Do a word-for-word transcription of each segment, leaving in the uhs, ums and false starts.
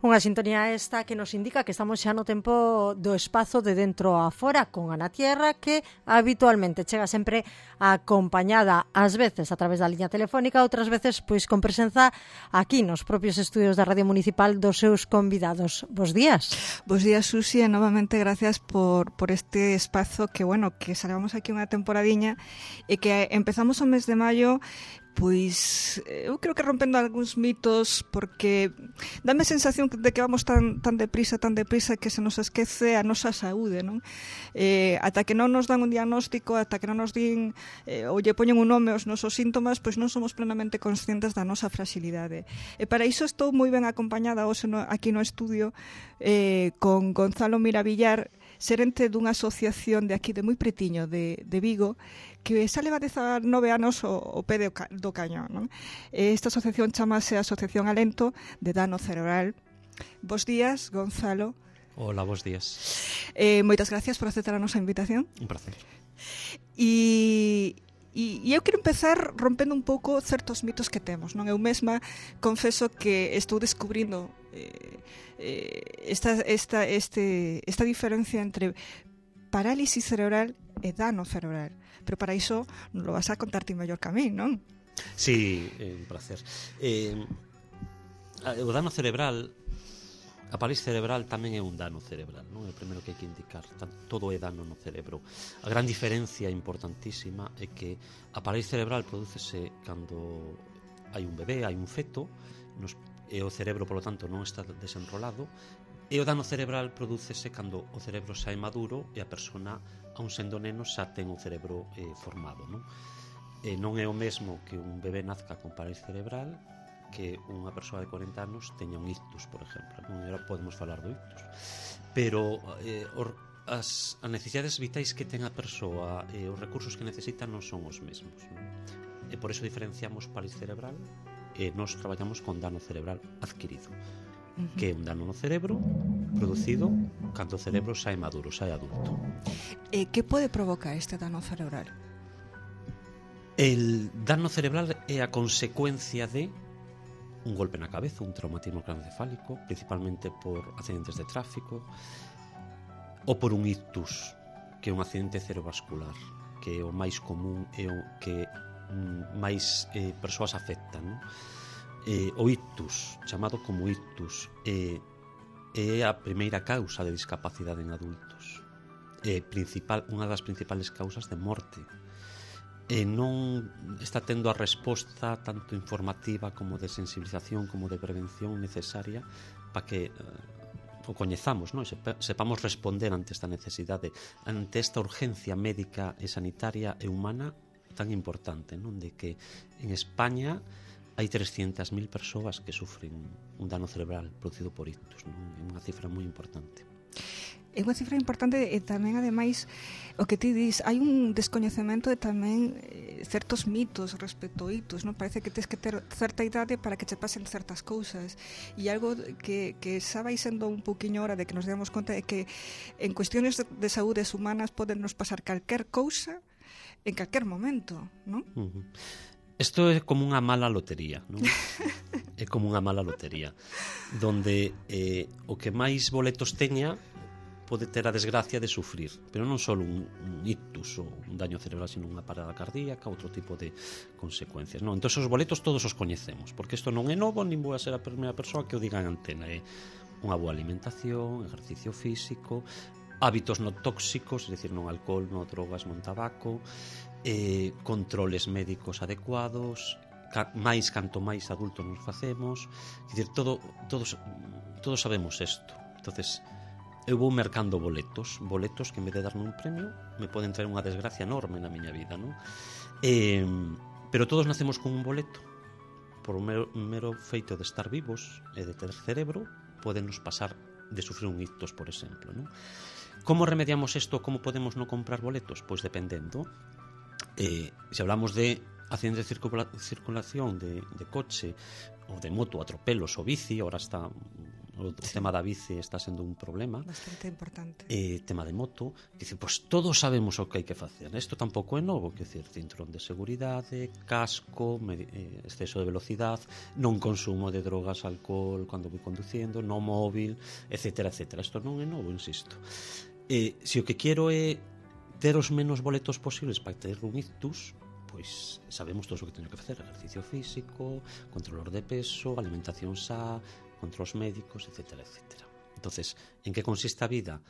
Unha sintonía esta que nos indica que estamos xa no tempo do espazo de dentro a fora con Ana Tierra, que habitualmente chega sempre acompañada ás veces a través da liña telefónica, outras veces pois con presenza aquí nos propios estudios da Radio Municipal dos seus convidados. Bos días. Bos días, Susi, e novamente gracias por, por este espazo que, bueno, que salgamos aquí unha temporadiña e que empezamos o mes de maio. Pois eu creo que rompendo algúns mitos, porque dame a sensación de que vamos tan, tan deprisa, tan deprisa que se nos esquece a nosa saúde, non? Eh, ata que non nos dan un diagnóstico, ata que non nos din eh, ou lle poñen un nome aos nosos síntomas, pois non somos plenamente conscientes da nosa fragilidade. E para iso estou moi ben acompañada hoxe no, aquí no estudio eh, con Gonzalo Miravillar, xerente dunha asociación de aquí de moi pretiño de, de Vigo, que xa leva dezanove anos o, o pé do, ca, do cañón, non? Esta asociación chamase Asociación Alento de Dano Cerebral. Bos días, Gonzalo. Hola, bos días. Eh, moitas gracias por aceptar a nosa invitación. Un placer. E... E, e eu quero empezar rompendo un pouco certos mitos que temos, non? Eu mesma confeso que estou descubrindo eh, eh, esta, esta, este, esta diferencia entre parálisis cerebral e dano cerebral. Pero para iso non lo vas a contar ti mellor que a mí, non? Sí, é un placer. Eh, o dano cerebral, a parálisis cerebral tamén é un dano cerebral, non? É o primeiro que hai que indicar. Todo é dano no cerebro. A gran diferencia importantísima é que a parálisis cerebral prodúcese cando hai un bebé, hai un feto, nos, e o cerebro, polo tanto, non está desenrolado, e o dano cerebral prodúcese cando o cerebro xa é maduro e a persona, aun sendo neno, xa ten o cerebro eh, formado, non? E non é o mesmo que un bebé nazca con parálisis cerebral que unha persoa de corenta anos teña un ictus, por exemplo, non? Era, podemos falar do ictus, pero eh, or, as, as necesidades vitais que ten a persoa e eh, os recursos que necesita non son os mesmos, non? E por iso diferenciamos parálisis cerebral e nos traballamos con dano cerebral adquirido, uh-huh. que é un dano no cerebro producido cando o cerebro xa é maduro, xa é adulto. E que pode provocar este dano cerebral? El dano cerebral é a consecuencia de un golpe na cabeza, un traumatismo craneoencefálico, principalmente por accidentes de tráfico, ou por un ictus, que é un accidente cerebrovascular, que é o máis común e o que mm, máis eh, persoas afectan, non? Eh, o ictus, chamado como ictus, eh, é a primeira causa de discapacidade en adultos. É principal, unha das principales causas de morte. E non está tendo a resposta tanto informativa como de sensibilización como de prevención necesaria para que eh, o coñezamos, non? Sepamos responder ante esta necesidade, ante esta urgencia médica e sanitaria e humana tan importante, non? De que en España hai trescientas mil persoas que sufren un dano cerebral producido por ictus, non? É unha cifra moi importante. É unha cifra importante e tamén, ademais, o que ti dis, hai un descoñecemento e tamén eh, certos mitos respecto ao ictus, non? Parece que tens que ter certa idade para que che pasen certas cousas, e algo que, que xa vai sendo un pouquiño hora de que nos demos conta é que en cuestiones de, de saúdes humanas poden nos pasar calquer cousa en calquer momento, non? Uh-huh. Isto é como unha mala lotería, non? É como unha mala lotería, donde eh, o que máis boletos teña pode ter a desgracia de sufrir, pero non só un, un ictus ou un daño cerebral, sino unha parada cardíaca, outro tipo de consecuencias, non? Entón, os boletos todos os coñecemos, porque isto non é novo, nin vou a ser a primeira persoa que o diga en antena. É unha boa alimentación, exercicio físico, hábitos non tóxicos, é dicir, non alcohol, non drogas, non tabaco, eh, controles médicos adecuados, ca, máis canto máis adultos nos facemos, é dicir, todo, todos, todos sabemos isto. Entonces, eu vou mercando boletos, boletos que en vez de darme un premio me poden traer unha desgracia enorme na miña vida, non? Eh, pero todos nacemos con un boleto. Por o mero, mero feito de estar vivos e de ter cerebro, podenos pasar de sufrir un ictus, por exemplo, non? Como remediamos isto? Como podemos non comprar boletos? Pois dependendo. Eh, se hablamos de accidentes de circula, circulación de, de coche ou de moto, atropelos ou bici, ahora está o sí. tema da bici está sendo un problema. Bastante importante. Eh, tema de moto, que dice, pois pues, todos sabemos o que hai que facer. Isto tampouco é novo, que decir, cinturón de seguridade, casco, eh, exceso de velocidade, non consumo de drogas, alcohol cando vou conduciendo, no móvil, etcétera, etcétera. Isto non é novo, insisto. Eh, se o que quero é ter os menos boletos posibles para ter un ictus, pois sabemos todo o que teño que facer: ejercicio físico, controlor de peso, alimentación xa, controls médicos, etcétera, etcétera. Entonces, en que consiste a vida?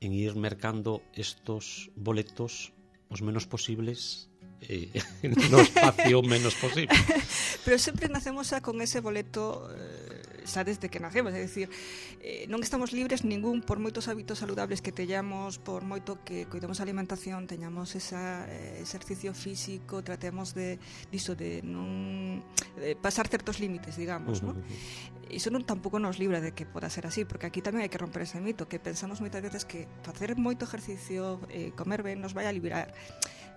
En ir mercando estos boletos os menos posibles eh, no espacio menos posible. Pero sempre nacemos xa con ese boleto eh, xa desde que nacemos, é dicir, eh, non estamos libres ningún, por moitos hábitos saludables que teñamos, por moito que cuidemos a alimentación, teñamos esa eh, exercicio físico, tratemos de diso de non de pasar certos límites, digamos, uh -huh. ¿no? Iso non tampouco nos libra de que poda ser así, porque aquí tamén hai que romper ese mito, que pensamos moitas veces que facer moito ejercicio, eh, comer ben, nos vai a liberar.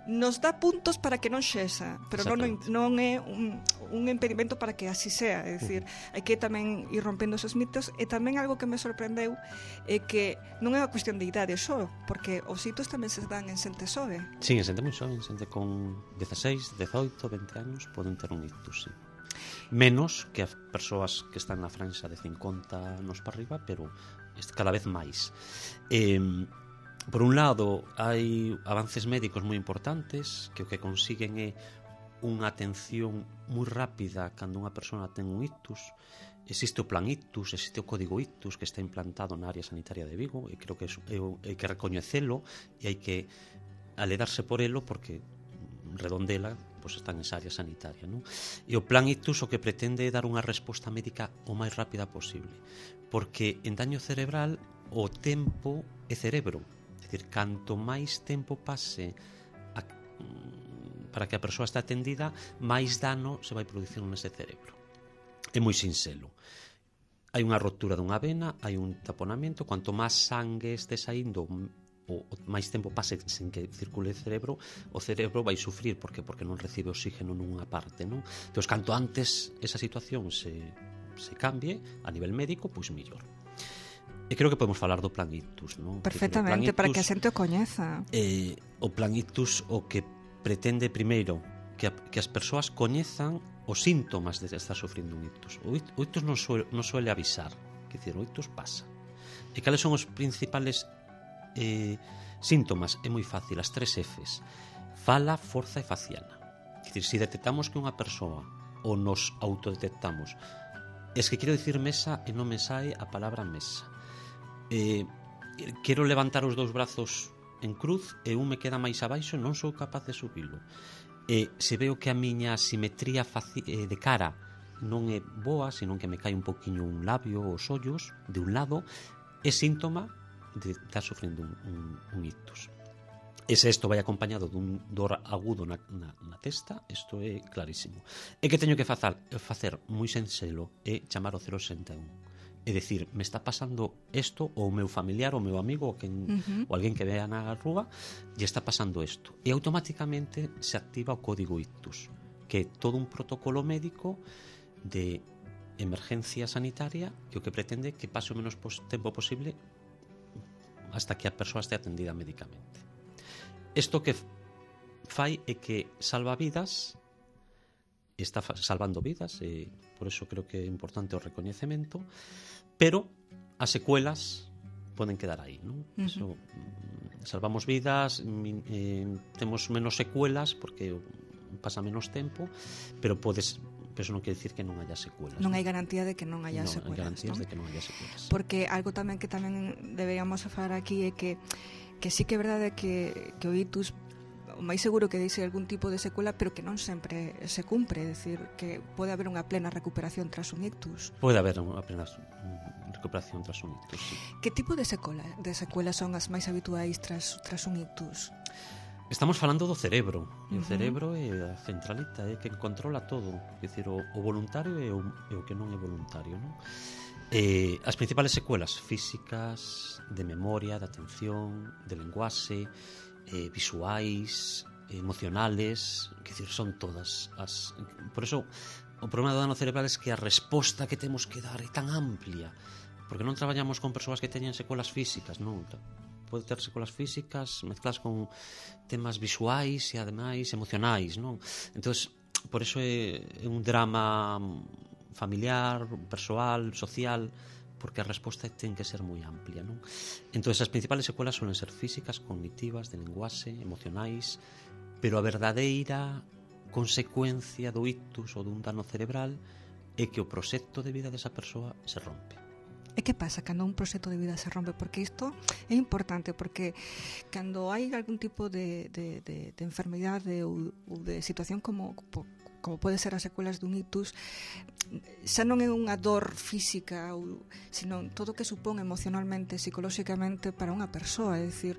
Nos dá puntos para que non xesa, pero non, non é un, un impedimento para que así sea. É dicir, hai que tamén ir rompendo esos mitos. E tamén algo que me sorprendeu é que non é unha cuestión de idade só, porque os hitos tamén se dan en xente xove. Sí, en xente moi xove, en xente con dezaseis, dezoito, vinte anos poden ter un ictus, sí. Menos que as persoas que están na franxa de cincuenta anos para arriba, pero cada vez máis. Eh, Por un lado, hai avances médicos moi importantes que o que consiguen é unha atención moi rápida cando unha persona ten un ictus. Existe o plan ictus, existe o código ictus que está implantado na área sanitaria de Vigo, e creo que hai que recoñecelo e hai que aledarse por elo, porque Redondela pois está nesa área sanitaria, non? E o plan ictus o que pretende é dar unha resposta médica o máis rápida posible, porque en daño cerebral o tempo é cerebro. É dicir, canto máis tempo pase a, para que a persoa está atendida, máis dano se vai producir nese cerebro. É moi sinxelo. Hai unha rotura dunha vena, hai un taponamento, cuanto máis sangue este saindo, o, o máis tempo pase sen que circule o cerebro, o cerebro vai sufrir, porque porque non recibe oxígeno nunha parte, non? Entón, canto antes esa situación se, se cambie a nivel médico, pois mellor. E creo que podemos falar do plan ictus, non? Perfectamente, ictus, para que a xente o coñeza. Eh, o plan ictus o que pretende primeiro que, a, que as persoas coñezan os síntomas de estar sufrindo un ictus. O, o ictus non, suele, non suele avisar, que decir, o ictus pasa. E cales son os principales eh, síntomas? É moi fácil, as tres Fs: fala, forza e faciana. É dicir, se detectamos que unha persoa ou nos autodetectamos, es que quero dicir mesa e non me sae a palabra mesa. Eh, quero levantar os dous brazos en cruz e un me queda máis abaixo, non sou capaz de subilo. E se veo que a miña simetría faci- eh, de cara non é boa, senón que me cae un poquinho un labio ou os ollos de un lado, é síntoma de estar sufrindo un, un, un ictus. E se isto vai acompañado dun dor agudo na, na, na testa, isto é clarísimo. E que teño que facer, facer moi senxelo é chamar o cero sesenta e un. É dicir, me está pasando isto, ou o meu familiar, ou o meu amigo, ou, quen, uh-huh. ou alguén que vea na rúa, lle está pasando isto. E automáticamente se activa o código ictus, que é todo un protocolo médico de emergencia sanitaria que o que pretende que pase o menos pos- tempo posible hasta que a persoa este atendida médicamente. Isto que fai é que salva vidas, está salvando vidas, e por eso creo que é importante o recoñecemento, pero as secuelas poden quedar aí, non? Uh-huh. Eso, salvamos vidas, eh, temos menos secuelas porque pasa menos tempo, pero podes, pero eso non quere dicir que non haya secuelas. Non hai garantía de que non haya non, secuelas, hai garantías non? de que non haya secuelas. Porque algo tamén que tamén deberíamos falar aquí é que que sí que é verdade que, que o ictus o máis seguro que deixe algún tipo de secuela, pero que non sempre se cumpre, é dicir, que pode haber unha plena recuperación tras un ictus. Pode haber unha plena recuperación tras un ictus, sí. Que tipo de secuela, de secuelas son as máis habituais tras, tras un ictus? Estamos falando do cerebro, e o cerebro é a centralita, é que controla todo, é dicir, o, o voluntario e o, e o que non é voluntario, non? Eh, as principales secuelas físicas, de memoria, de atención, de lenguaxe, eh, visuais, emocionales, que decir, son todas as... Por eso, o problema do dano cerebral é que a resposta que temos que dar é tan amplia porque non traballamos con persoas que teñen secuelas físicas, non? Pode ter secuelas físicas mezcladas con temas visuais e ademais emocionais, non? Entonces, por eso é, é un drama familiar, persoal, social, porque a resposta ten que ser moi amplia, non? Entonces, as principales secuelas suelen ser físicas, cognitivas, de lenguaxe, emocionais, pero a verdadeira consecuencia do ictus ou dun dano cerebral é que o proxecto de vida desa persoa se rompe. E que pasa cando un proxecto de vida se rompe? Porque isto é importante, porque cando hai algún tipo de, de, de, de enfermidade ou, ou de situación como, como pode ser as secuelas dun ictus, xa non é unha dor física, ou, sino todo o que supón emocionalmente, psicolóxicamente para unha persoa, é dicir,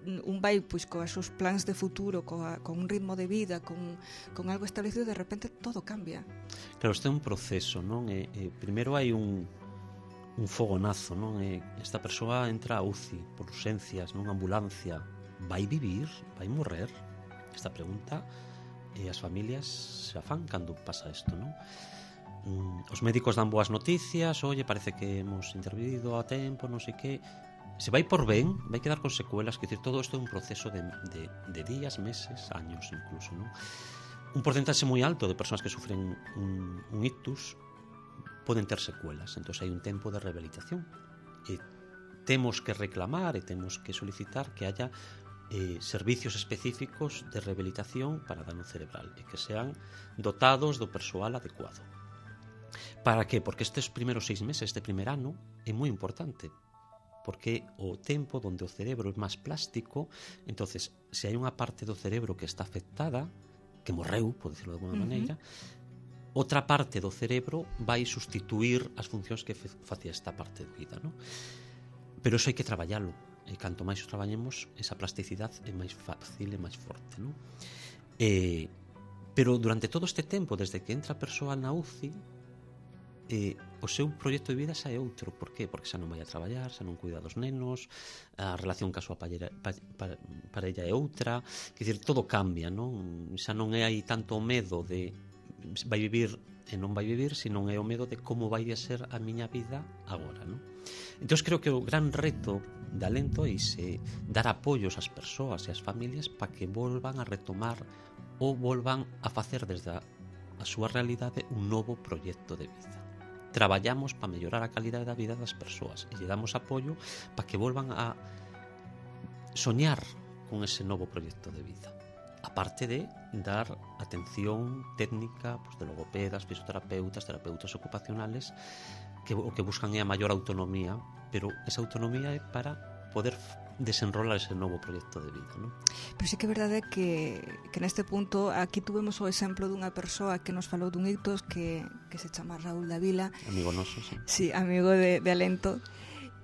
un vai pois coas seus plans de futuro, coa, con un ritmo de vida, con, con algo establecido, de repente todo cambia. Claro, este é un proceso, non? E, e primeiro hai un un fogonazo, non? E esta persoa entra a U C I por urgencias, nunha ambulancia. Vai vivir? Vai morrer? Esta pregunta e as familias se afan cando pasa isto, non? Mm, os médicos dan boas noticias, oye, parece que hemos intervido a tempo, non sei que. Se vai por ben, vai quedar con secuelas, que decir, todo isto é un proceso de, de, de días, meses, años incluso, non? Un porcentaxe moi alto de persoas que sufren un, un ictus poden ter secuelas, entón hai un tempo de rehabilitación e temos que reclamar e temos que solicitar que haya eh, servicios específicos de rehabilitación para dano cerebral e que sean dotados do persoal adecuado. Para que? Porque estes primeiros seis meses, este primer ano, é moi importante, porque o tempo onde o cerebro é máis plástico, entonces se hai unha parte do cerebro que está afectada, que morreu, por decirlo de alguma uh-huh. maneira, outra parte do cerebro vai sustituir as funcións que facía esta parte da vida, non? Pero iso hai que traballalo, e canto máis o traballemos, esa plasticidade é máis fácil e máis forte, non? E, pero durante todo este tempo, desde que entra a persoa na U C I, eh, o seu proxecto de vida xa é outro. Por qué? Porque xa non vai a traballar, xa non cuida dos nenos, a relación ca súa parella, pa, pa, parella é outra, quer dizer, todo cambia, non? Xa non é aí tanto o medo de vai vivir e non vai vivir, sino é o medo de como vai a ser a miña vida agora, non? Entón, creo que o gran reto de Alento é ese, dar apoios ás persoas e ás familias para que volvan a retomar ou volvan a facer desde a, a súa realidade un novo proxecto de vida. Traballamos para mellorar a calidade da vida das persoas e lle damos apoio para que volvan a soñar con ese novo proxecto de vida. Aparte de dar atención técnica, pues, de logopedas, fisioterapeutas, terapeutas ocupacionales, que o que buscan é a maior autonomía, pero esa autonomía é para poder desenrolar ese novo proxecto de vida, non? Pero sí que é verdade que, que neste punto aquí tuvemos o exemplo dunha persoa que nos falou dun ictus que, que se chama Raúl Davila, amigo noso, sí, sí, amigo de, de Alento.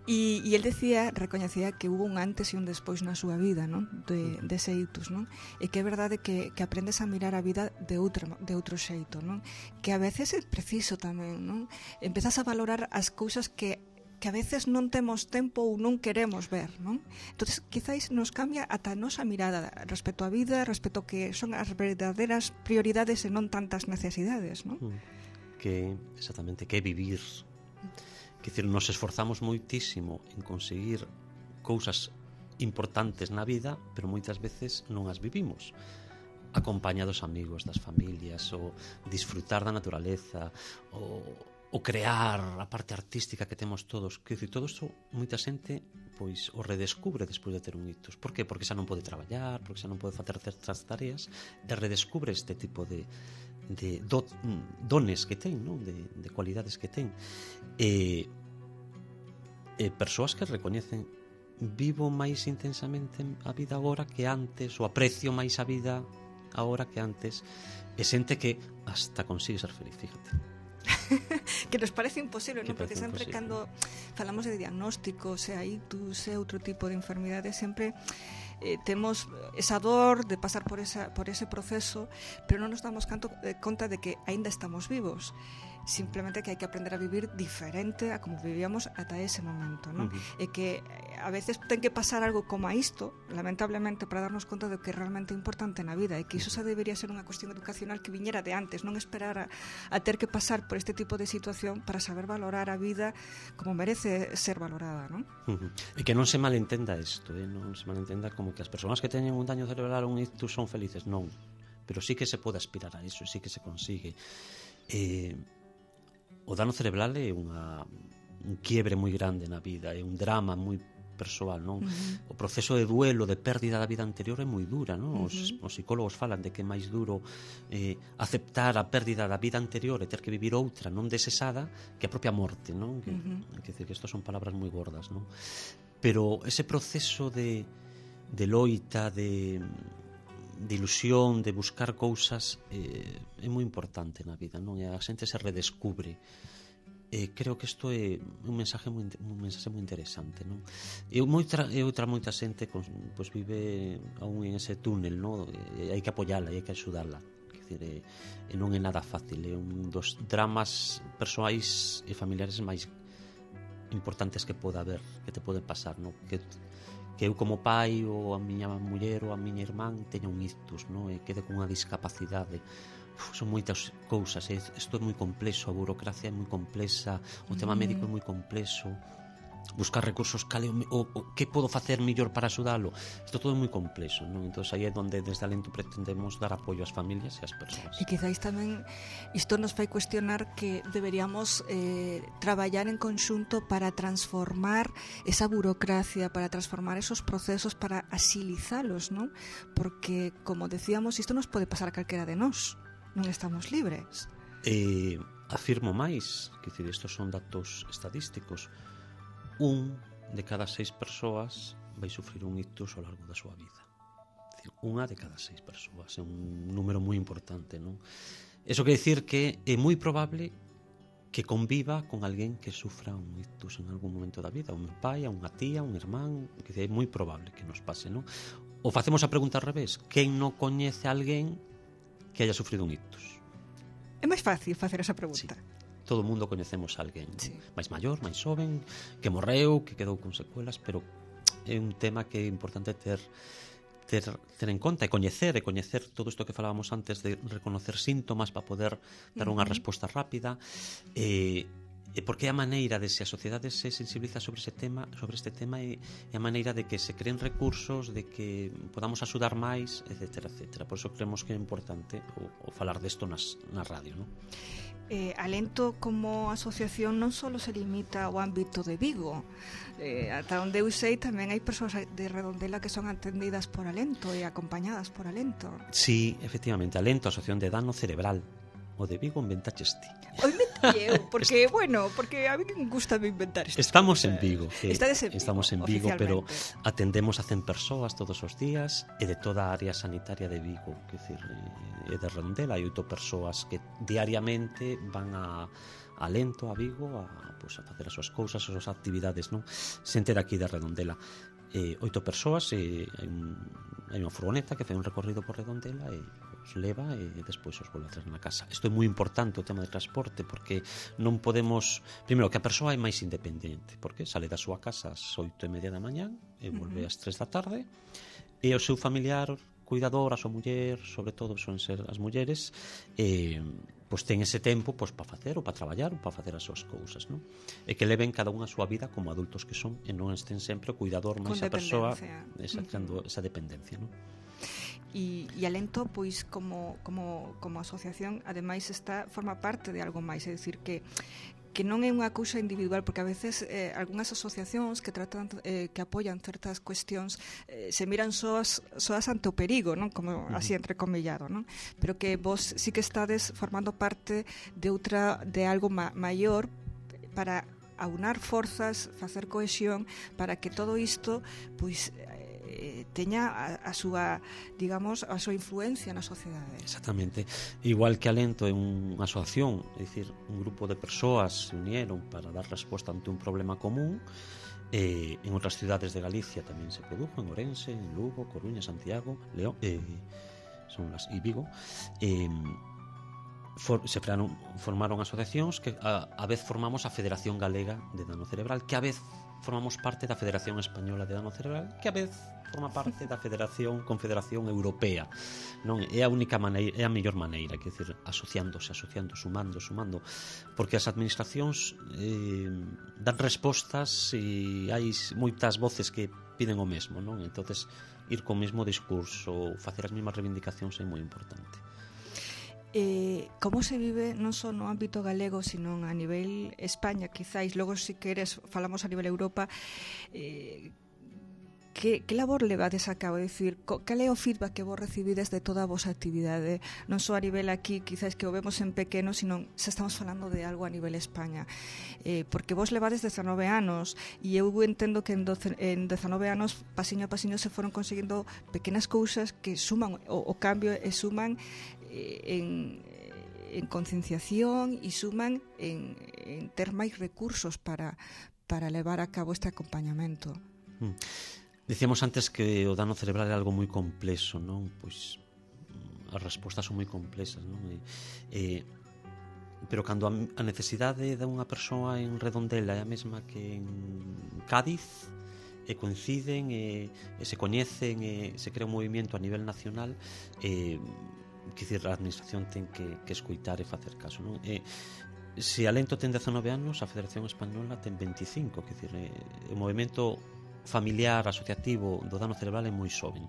E, e el decía, recoñecía que hubo un antes e un despois na súa vida, non? De, de ese ictus, non? E que é verdade que, que aprendes a mirar a vida de outro, de outro xeito, non? Que a veces é preciso tamén, non? Empezas a valorar as cousas que que a veces non temos tempo ou non queremos ver, non? Entonces, quizáis nos cambia ata a nosa mirada respecto á vida, respecto a que son as verdadeiras prioridades e non tantas necesidades, non? Que, exactamente, que é vivir. Quer dizer, nos esforzamos moitísimo en conseguir cousas importantes na vida, pero moitas veces non as vivimos. Acompañados amigos, das familias, ou disfrutar da naturaleza, ou, ou crear a parte artística que temos todos. Quer dizer, todo isto, moita xente pois o redescubre despois de ter un ictus. Por qué? Porque xa non pode traballar, porque xa non pode facer certas tareas, e redescubre este tipo de de do, dones que ten, non? De, de cualidades que ten, e, e persoas que recoñecen, vivo máis intensamente a vida agora que antes, ou aprecio máis a vida agora que antes, e xente que hasta consigue ser feliz, fíjate. Que nos parece imposible, non? Porque sempre imposible. Cando falamos de diagnóstico, sea ictus, sea outro tipo de enfermidade, sempre eh, temos esa dor de pasar por, esa, por ese proceso, pero non nos damos canto, eh, conta de que aínda estamos vivos. simplemente que hai que aprender a vivir diferente a como vivíamos ata ese momento, non? Uh-huh. E que a veces ten que pasar algo como a isto, lamentablemente, para darnos conta de que é realmente importante na vida, e que iso xa debería ser unha cuestión educacional que viñera de antes, non esperar a, a ter que pasar por este tipo de situación para saber valorar a vida como merece ser valorada, non? Uh-huh. E que non se malentenda isto, eh? Non se malentenda como que as persoas que teñen un daño cerebral ou un ictus son felices, non, pero sí que se pode aspirar a iso, sí que se consigue. Eh, o dano cerebral é unha, un quiebre moi grande na vida, é un drama moi persoal, non? Uh-huh. O proceso de duelo, de pérdida da vida anterior é moi dura, non? Os, uh-huh. os psicólogos falan de que é máis duro eh, aceptar a pérdida da vida anterior e ter que vivir outra non desesada que a propia morte, non? Que, uh-huh. que decir que isto son palabras moi gordas, non? Pero ese proceso de, de loita, de de ilusión, de buscar cousas eh, é moi importante na vida, non? E a xente se redescubre. Eh, creo que isto é un mensaje moi, un mensaje moi interesante, non? E outra, e outra moita xente pois, pues, vive aún en ese túnel, non? E hai que apoiala, e hai que axudarla. Quer dizer, e, e non é nada fácil, é un dos dramas persoais e familiares máis importantes que poda haber, que te poden pasar, non? Que que eu como pai ou a miña muller ou a miña irmán teña un ictus, non? E quede con unha discapacidade. Uf, son moitas cousas, eh? Isto é moi complexo, a burocracia é moi complexa, o tema médico é moi complexo, buscar recursos, cale, o, o, o que podo facer mellor para axudalo, isto todo é moi complexo, non? Entón aí é onde desde Alento pretendemos dar apoio ás familias e ás persoas. E quizáis tamén isto nos fai cuestionar que deberíamos eh, traballar en conxunto para transformar esa burocracia, para transformar esos procesos, para axilizalos, non? Porque, como decíamos, isto nos pode pasar a calquera de nós, non estamos libres. Eh, afirmo máis, que dicir, estos son datos estadísticos. Un de cada seis persoas vai sufrir un ictus ao largo da súa vida. Dicir, unha de cada seis persoas é un número moi importante, non? Eso quer dicir que é moi probable que conviva con alguén que sufra un ictus en algún momento da vida, un pai, unha tía, un irmán, que é moi probable que nos pase, non? Ou facemos a pregunta ao revés, quen non coñece a alguén que haya sufrido un ictus? É máis fácil facer esa pregunta. Sí. Todo o mundo coñecemos a alguén, sí. máis maior, máis xoven, que morreu, que quedou con secuelas, pero é un tema que é importante ter ter, ter en conta e coñecer, e coñecer todo isto que falábamos antes de reconocer síntomas para poder dar unha uh-huh. resposta rápida, e e porque é a maneira de se a sociedade se sensibiliza sobre ese tema, sobre este tema é, é a maneira de que se creen recursos, de que podamos axudar máis, etcétera, etcétera. Por iso creemos que é importante o, o falar desto nas, na radio, non? Eh, Alento como asociación non só se limita ao ámbito de Vigo, eh, ata onde eu sei tamén hai persoas de Redondela que son atendidas por Alento e acompañadas por Alento. Sí, efectivamente, Alento, Asociación de Dano Cerebral. O de Vigo inventaches ti. O inventei eu, porque, bueno, porque a mí me gusta inventar isto. Estamos en Vigo, que en Vigo, estamos en Vigo, pero atendemos a cen persoas todos os días e de toda a área sanitaria de Vigo, que decir, e de Redondela, hai oito persoas que diariamente van a Alento, a Vigo, a, pues, a facer as súas cousas, as súas actividades, non? Xente daqui de Redondela. Eh, oito persoas, e hai, un, hai unha furgoneta que fai un recorrido por Redondela e os leva e despois os volve a traer na casa. Isto é moi importante, o tema de transporte, porque non podemos, primeiro, que a persoa é máis independente, porque sale da súa casa ás oito e media da mañán e volve ás tres da tarde, e o seu familiar cuidador, a súa muller, sobre todo son ser as mulleres, eh, pois ten ese tempo pois para facer ou para traballar ou para facer as súas cousas, non? E que leven cada unha a súa vida como adultos que son e non estén sempre o cuidador máis a persoa esa, uh-huh. esa dependencia, non? E, e Alento, pois, como, como, como asociación, ademais está forma parte de algo máis, é dicir, que que non é unha cousa individual, porque a veces eh, algunhas asociacións que tratan eh, que apoian certas cuestións eh, se miran soas, soas ante o perigo, non? Como uh-huh. así entrecomillado, non? Pero que vos sí que estades formando parte de outra de algo ma- maior para aunar forzas, facer cohesión para que todo isto pois eh, teña a, a súa, digamos, a súa influencia na sociedade. Exactamente. Igual que Alento é unha asociación, é dicir, un grupo de persoas se unieron para dar resposta ante un problema común. Eh, en outras cidades de Galicia tamén se produjo, en Ourense, en Lugo, Coruña, Santiago, León, eh, son las, e Vigo. Eh, for, se crearon, formaron asociacións que a, a vez formamos a Federación Galega de Dano Cerebral, que a vez formamos parte da Federación Española de Dano Cerebral, que a vez forma parte da Federación Confederación Europea, non? É a única maneira, é a mellor maneira, quer dizer, asociándose, asociando, sumando, sumando, porque as administracións eh, dan respostas e hai moitas voces que piden o mesmo, non? Entonces, ir co mesmo discurso, facer as mesmas reivindicacións é moi importante. Eh, como se vive non só no ámbito galego, sino a nivel España, quizáis, logo se queres falamos a nivel Europa, eh, Que, que labor levades a cabo? É dicir, cal é o feedback que vos recibides de toda a vosa actividade? Non só a nivel aquí, quizás que o vemos en pequeno, sino se estamos falando de algo a nivel España. Eh, porque vos levades dezanove anos, e eu entendo que en, doce, en dezanove anos, pasiño a pasiño, se foron conseguindo pequenas cousas que suman o, o cambio e suman eh, en... en concienciación e suman en, en ter máis recursos para, para levar a cabo este acompañamento. Mm. Dicíamos antes que o dano cerebral é algo moi complexo, non? Pois as respostas son moi complexas, non? E, e, pero cando a, a necesidade de unha persoa en Redondela é a mesma que en Cádiz, e coinciden, e, e se coñecen, e se crea un movimento a nivel nacional, e, que dicir, a administración ten que, que escoitar e facer caso, non? E, se Alento ten dezanove anos, a Federación Española ten veinticinco, que dicir, e, o movimento familiar, asociativo do dano cerebral é moi xoven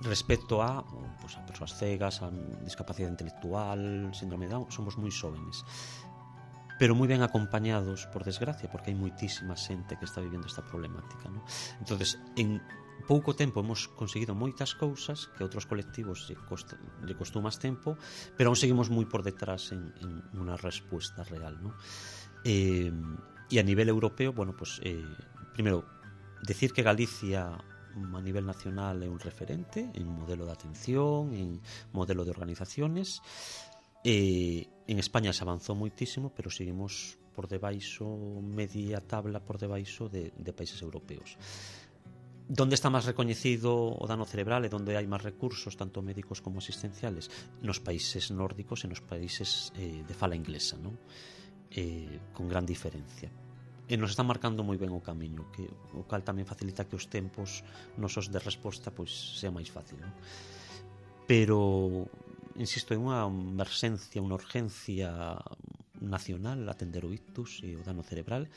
respecto a, pues, a persoas cegas, a discapacidade intelectual, síndrome de Down, somos moi xóvenes, pero moi ben acompañados, por desgracia, porque hai moitísima xente que está vivindo esta problemática, ¿no? Entonces, en pouco tempo hemos conseguido moitas cousas que outros colectivos lle, costa, lle costou máis tempo, pero aún seguimos moi por detrás en, en unha resposta real, ¿no? Eh, e a nivel europeo, bueno, pues, eh, primeiro, decir que Galicia a nivel nacional é un referente en modelo de atención, en modelo de organizaciones. Eh, en España se avanzou moitísimo, pero seguimos por debaixo, media tabla por debaixo de, de países europeos. Donde está máis recoñecido o dano cerebral e donde hai máis recursos, tanto médicos como asistenciales? Nos países nórdicos e nos países eh, de fala inglesa, non? Eh, con gran diferencia. E nos está marcando moi ben o camiño, que o cal tamén facilita que os tempos nosos de resposta pois sea máis fácil, non? Pero insisto, é unha emerxencia, unha urgencia nacional atender o ictus e o dano cerebral,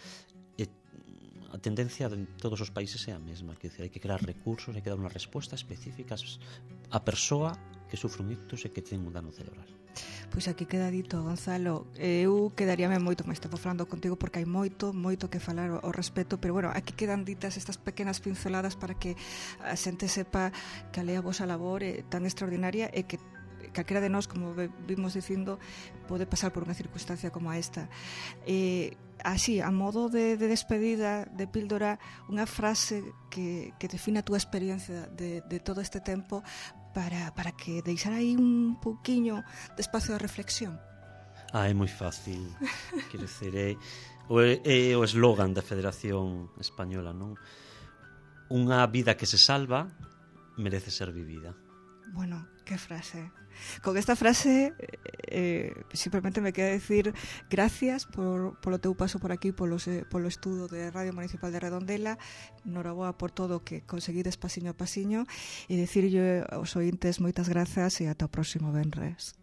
e a tendencia de todos os países é a mesma, que hai que crear recursos, hai que dar unhas respostas específicas á persoa que sufre un ictus e que ten un dano cerebral. Pois aquí queda dito, Gonzalo. Eu quedaríame moito máis tempo falando contigo porque hai moito, moito que falar ao respecto, pero bueno, aquí quedan ditas estas pequenas pinceladas para que a xente sepa que a lea a vosa labor é tan extraordinaria e que calquera de nós, como vimos dicindo, pode pasar por unha circunstancia como esta. Eh, así, a modo de, de despedida, de píldora, unha frase que, que define a túa experiencia de, de todo este tempo para, para que deixar aí un pouquiño de espacio de reflexión. Ah, é moi fácil. Quero dizer, é o, é o eslogan da Federación Española, non? Unha vida que se salva merece ser vivida. Bueno, qué frase. Con esta frase eh, simplemente me queda decir gracias por, por o teu paso por aquí, polo, polo estudo de Radio Municipal de Redondela. Noraboa por todo o que conseguides pasiño a pasiño, e dicirlle aos ointes moitas grazas e ata o próximo venres.